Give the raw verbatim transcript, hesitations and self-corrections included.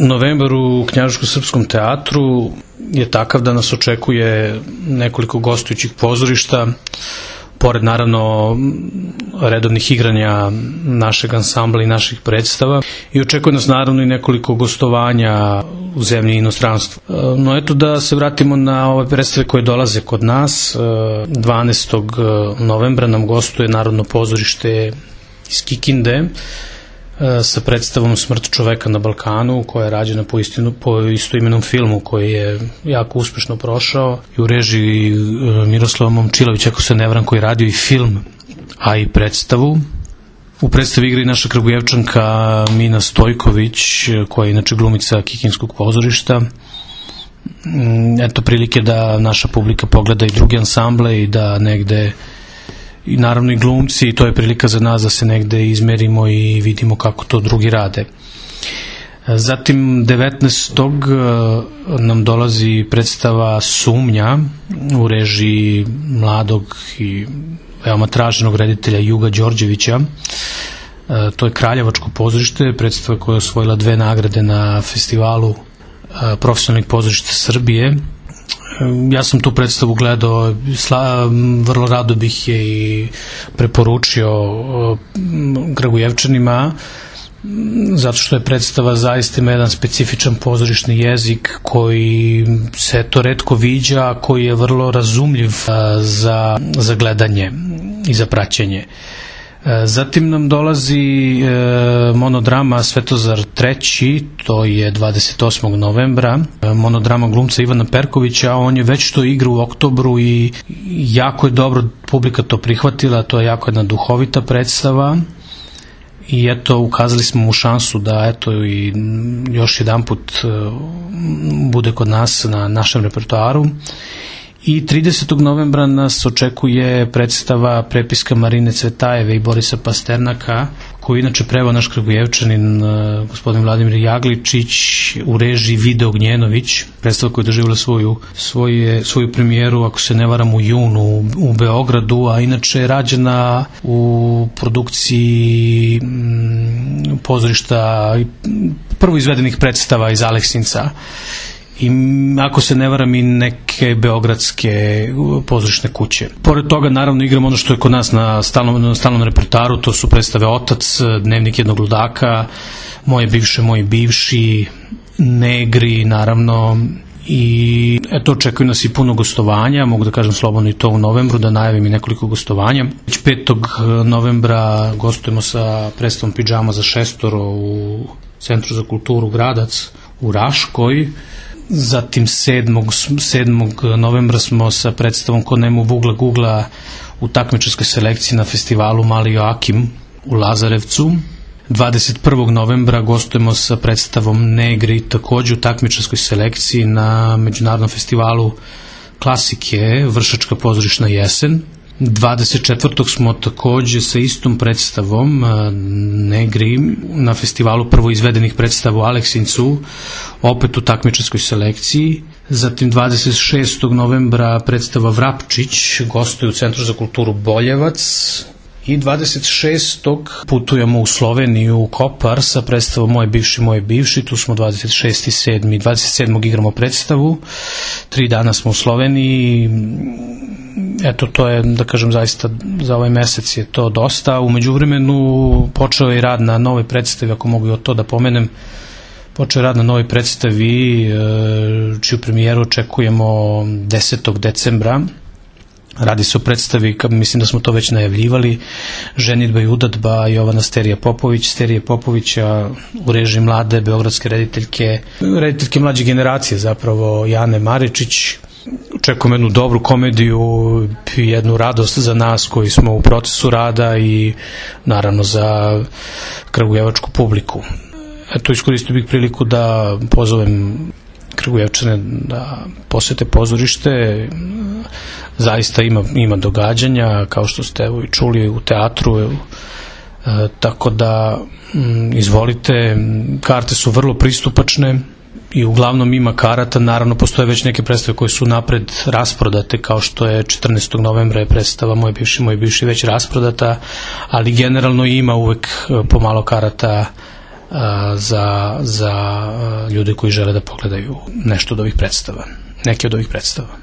Novembar u Knjaževsko-srpskom teatru je takav da nas očekuje nekoliko gostujućih pozorišta, pored naravno redovnih igranja našeg ansambla i naših predstava, i očekuje nas naravno i nekoliko gostovanja u zemlji i inostranstvu. No eto, da se vratimo na ove predstave koje dolaze kod nas. dvanaestog novembra nam gostuje Narodno pozorište iz Kikinde sa predstavom Smrt čoveka na Balkanu, koja je rađena po, istinu, po istoimenom filmu koji je jako uspešno prošao, i u režiji Miroslava Momčilovića, ako se ne varam, koji je radio i film, a i predstavu. U predstavi igra i naša Kragujevčanka Mina Stojković, koja je inače glumica Kikinskog pozorišta. Eto prilike da naša publika pogleda i druge ansamble i da negde, i naravno i glumci, i to je prilika za nas da se negde izmerimo i vidimo kako to drugi rade. Zatim devetnaestog nam dolazi predstava Sumnja u režiji mladog i veoma traženog reditelja Juga Đorđevića. To je Kraljevačko pozorište, predstava koja je osvojila dve nagrade na festivalu profesionalnih pozorišta Srbije. Ja sam tu predstavu gledao, vrlo rado bih je i preporučio Kragujevčanima, zato što je predstava zaista ima jedan specifičan pozorišni jezik koji se to retko viđa, a koji je vrlo razumljiv za, za gledanje i za praćenje. Zatim nam dolazi e, monodrama Svetozar treći, to je dvadeset osmog novembra, e, monodrama glumca Ivana Perkovića. On je već to igra u oktobru i jako je dobro publika to prihvatila, to je jako jedna duhovita predstava i eto, ukazali smo mu šansu da eto i još jedan put e, bude kod nas na našem repertoaru. I tridesetog novembra nas očekuje predstava Prepiska Marine Cvetajeve i Borisa Pasternaka, koju inače preveo naš Kragujevčanin gospodin Vladimir Jagličić u režiji Vide Ognjenović. Predstava koja je doživjela svoju, svoje, svoju premijeru, ako se ne varam, u junu u Beogradu, a inače je rađena u produkciji m, pozorišta prvo izvedenih predstava iz Aleksinca. I ako se ne varam i neke beogradske pozorišne kuće. Pored toga naravno igramo ono što je kod nas na stalnom, na stalnom repertoaru, to su predstave Otac, Dnevnik jednog ludaka, Moje bivše, moji bivši, Negri naravno, i eto očekuju nas i puno gostovanja, mogu da kažem slobodno i to u novembru, da najavim i nekoliko gostovanja. Već petog novembra gostujemo sa predstavom Pidžama za šestoro u Centru za kulturu Gradac u Raškoj. Zatim sedmog novembra smo sa predstavom Ko nemu Vugla Gugla u takmičarskoj selekciji na festivalu Mali Joakim u Lazarevcu. dvadeset prvog novembra gostujemo sa predstavom Negri, takođe u takmičarskoj selekciji na međunarodnom festivalu klasike Vršačka pozorišna jesen. dvadeset četvrtog smo takođe sa istom predstavom Negri na festivalu prvo izvedenih predstava u Aleksincu, opet u takmičarskoj selekciji. Zatim dvadeset šestog novembra predstava Vrapčić gostuje u Centru za kulturu Boljevac. I dvadeset šestog putujemo u Sloveniju, u Kopar sa predstavom Moje bivši, moji bivši. Tu smo dvadeset šestog i sedmog dvadeset sedmog igramo predstavu. Tri dana smo u Sloveniji. Eto, to je, da kažem, zaista za ovaj mesec je to dosta. U međuvremenu počeo je rad na novoj predstavi, ako mogu i od to da pomenem. Počeo je rad na novoj predstavi, čiju premijeru očekujemo desetog decembra. Radi se o predstavi, mislim da smo to već najavljivali, Ženidba i udadba Jovana Sterije Popović, Sterije Popovića u režiji mlade beogradske rediteljke, rediteljke mlađe generacije zapravo, Jane Maričić. Očekujem jednu dobru komediju, jednu radost za nas koji smo u procesu rada i naravno za kragujevačku publiku. Eto, iskoristio bih priliku da pozovem Kragujevčane da posete pozorište. Zaista ima, ima događanja, kao što ste evo i čuli u teatru, e, tako da m, izvolite, karte su vrlo pristupačne i uglavnom ima karata. Naravno postoje već neke predstave koje su napred rasprodate, kao što je četrnaestog novembra je predstava Moje bivši, moji bivši već rasprodata, ali generalno ima uvek pomalo karata za, za ljude koji žele da pogledaju nešto od ovih predstava, neke od ovih predstava.